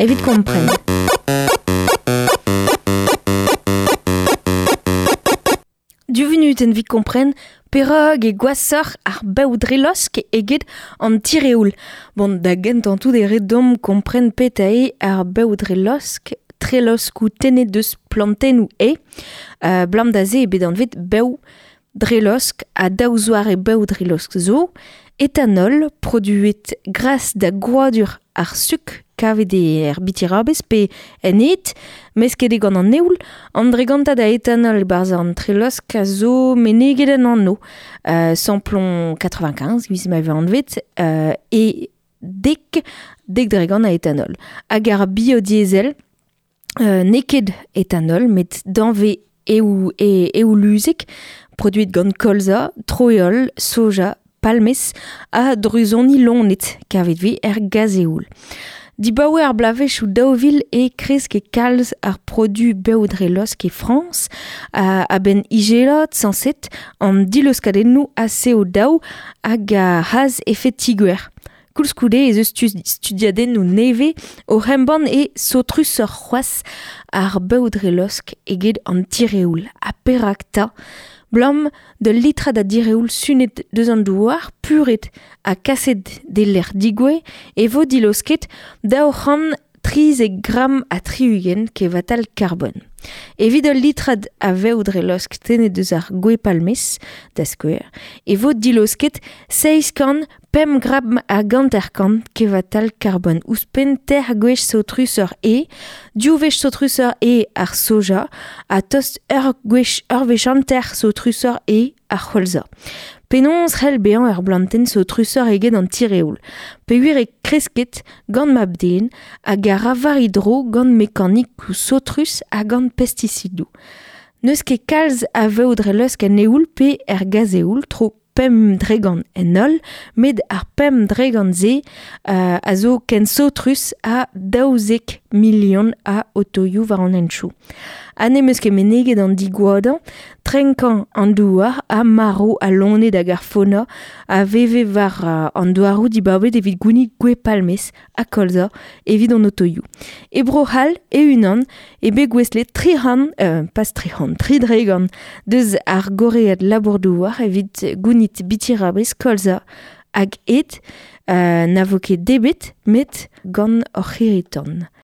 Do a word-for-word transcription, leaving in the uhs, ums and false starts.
evit kompren. Du venuten vit kompren perag e gwasoc'h ar bev-drelosk eget an tireoul. Bon, da gentañ tout e ret deomp kompren petra eo ar bev-drelosk, treloskoù tennet deus plantennoù e, euh, blam da se e bet anvet bev-drelosk ha daou zoare bev-drelosk zo, etanol produet gras da gwadur ar suk kavet er bitirabez pe en ed, mesket eo gant an eoul, an dregantad a etanol barzh an trelosk a zo meneget en anno, euh, samplon quatre-vingt-quinze, giz ma vez anvet, euh, e dek, dek dregant a etanol. Hag ar biodiesel, euh, n'eo ket etanol, met danve eou, e, eouluzek, produit gant kolza, troeol, soja, palmez ha druzoni lonet, kavet vez er gazeoul. Dibaoe ar blavezhioù daou vil e kresk e kalz ar produ bev-drelosk e Frañs, a, a-benn ijelat sañset an diloskadennoù a C O daou hag a c'haz efed ti-gwer. Koulskoude ez eus stu-, studiadennoù nevez o embann e saotrusoc'h c'hoazh ar bev-drelosk eget an tireoul. Ha perak 'ta? Blam de litrad a direoul sunet deus an douar, puret ha kaset d'e lec'h digoue, e vo dilosket daou c'hant trizek gram ha tri-ugent kevatal karbon. Evit ul litrad a vev-drelosk tennet deus ar gwez-palmez, da skouer, e vo dilosket seizh kant pemp gram hag hanter-kant kevatal karbon. Ouzhpenn ter gwech saotrusoc'h eo, div wech saotrusoc'h eo ar soja, ha tost ur gwech ur wech hanter saotrusoc'h eo ar c'holza. Penaos c'hell bezañ ur blantenn saotrusoc'h eget an tireoul. Peogwir e kresket gant mab-den hag a ra war e dro gant mekanikoù saotrus ha gant pestisidoù. N'eus ket kalz a vev-drelosk en eoul pe er gazeoul, tro pemp dregant en holl, met ar pemp dregant-se, euh, a zo ken saotrus ha daouzek milion a otoioù war an hentchoù. Ha n'em eus ket meneget an digoadañ, trenkañ an douar ha marv a loened hag ar faona a veve war, euh, an douaroù dibabet evit gounit gwez-palmez ha kolza evit an otoioù. E Bro-C'hall e-unan e bet gouestlet tri c'hant, euh, pas tri c'hant, tri dregant deus ar goread labour-douar evit gounit bitirabez, kolza hag ed, euh, na vo ket debet met gant hor c'hirri-tan.